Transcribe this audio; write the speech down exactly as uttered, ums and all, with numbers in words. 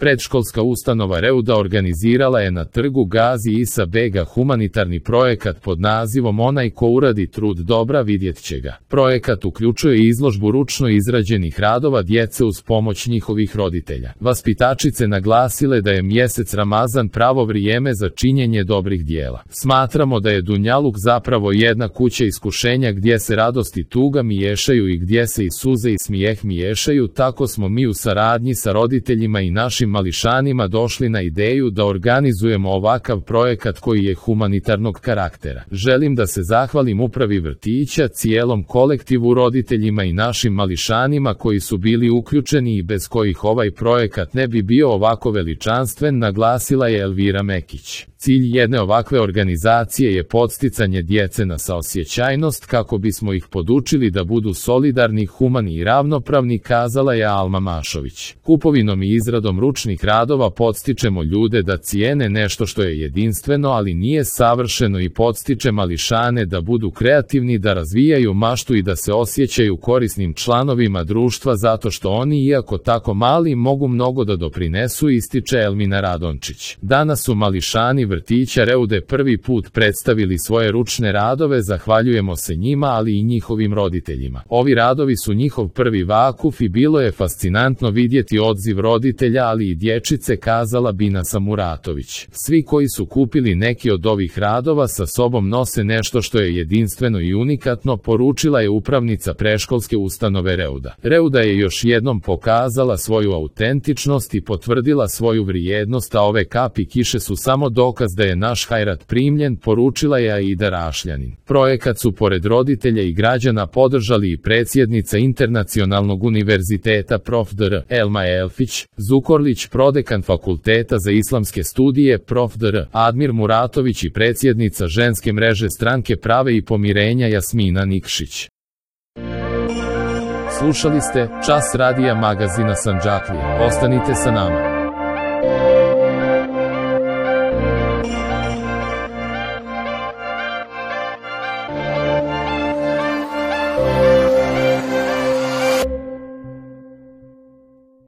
Predškolska ustanova Reuda organizirala je na trgu Gazi Isa Bega humanitarni projekat pod nazivom Onaj ko uradi trud dobra vidjet će ga. Projekat uključuje izložbu ručno izrađenih radova djece uz pomoć njihovih roditelja. Vaspitačice naglasile da je mjesec Ramazan pravo vrijeme za činjenje dobrih dijela. Smatramo da je dunjaluk zapravo jedna kuća iskušenja gdje se radost i tuga miješaju i gdje se i suze i smijeh miješaju, tako smo mi u saradnji sa roditeljima i našim mališanima došli na ideju da organizujemo ovakav projekat koji je humanitarnog karaktera. Želim da se zahvalim upravi vrtića, cijelom kolektivu, roditeljima i našim mališanima koji su bili uključeni i bez kojih ovaj projekat ne bi bio ovako veličanstven, naglasila je Elvira Mekić. Cilj jedne ovakve organizacije je podsticanje djece na saosjećajnost kako bismo ih podučili da budu solidarni, humani i ravnopravni, kazala je Alma Mašović. Kupovinom i izradom ručnih radova podstičemo ljude da cijene nešto što je jedinstveno ali nije savršeno i podstiče mališane da budu kreativni, da razvijaju maštu i da se osjećaju korisnim članovima društva zato što oni, iako tako mali, mogu mnogo da doprinesu, ističe Elmina Radončić. Danas su mališani vrtića Reude prvi put predstavili svoje ručne radove, zahvaljujemo se njima ali i njihovim roditeljima. Ovi radovi su njihov prvi vakuf i bilo je fascinantno vidjeti odziv roditelja ali i dječice, kazala Binasa Muratović. Svi koji su kupili neki od ovih radova sa sobom nose nešto što je jedinstveno i unikatno, poručila je upravnica predškolske ustanove Reuda. Reuda je još jednom pokazala svoju autentičnost i potvrdila svoju vrijednost, a ove kapi kiše su samo dokaz da je naš hajrat primljen, poručila je Aida Rašljanin. Projekat su pored roditelja i građana podržali i predsjednica Internacionalnog univerziteta prof dr Elma Elfić, Zukorlić, prodekan Fakulteta za islamske studije prof dr Admir Muratović i predsjednica ženske mreže Stranke prave i pomirenja Jasmina Nikšić. Slušali ste Čas radija magazina Sandžaklija. Ostanite sa nama.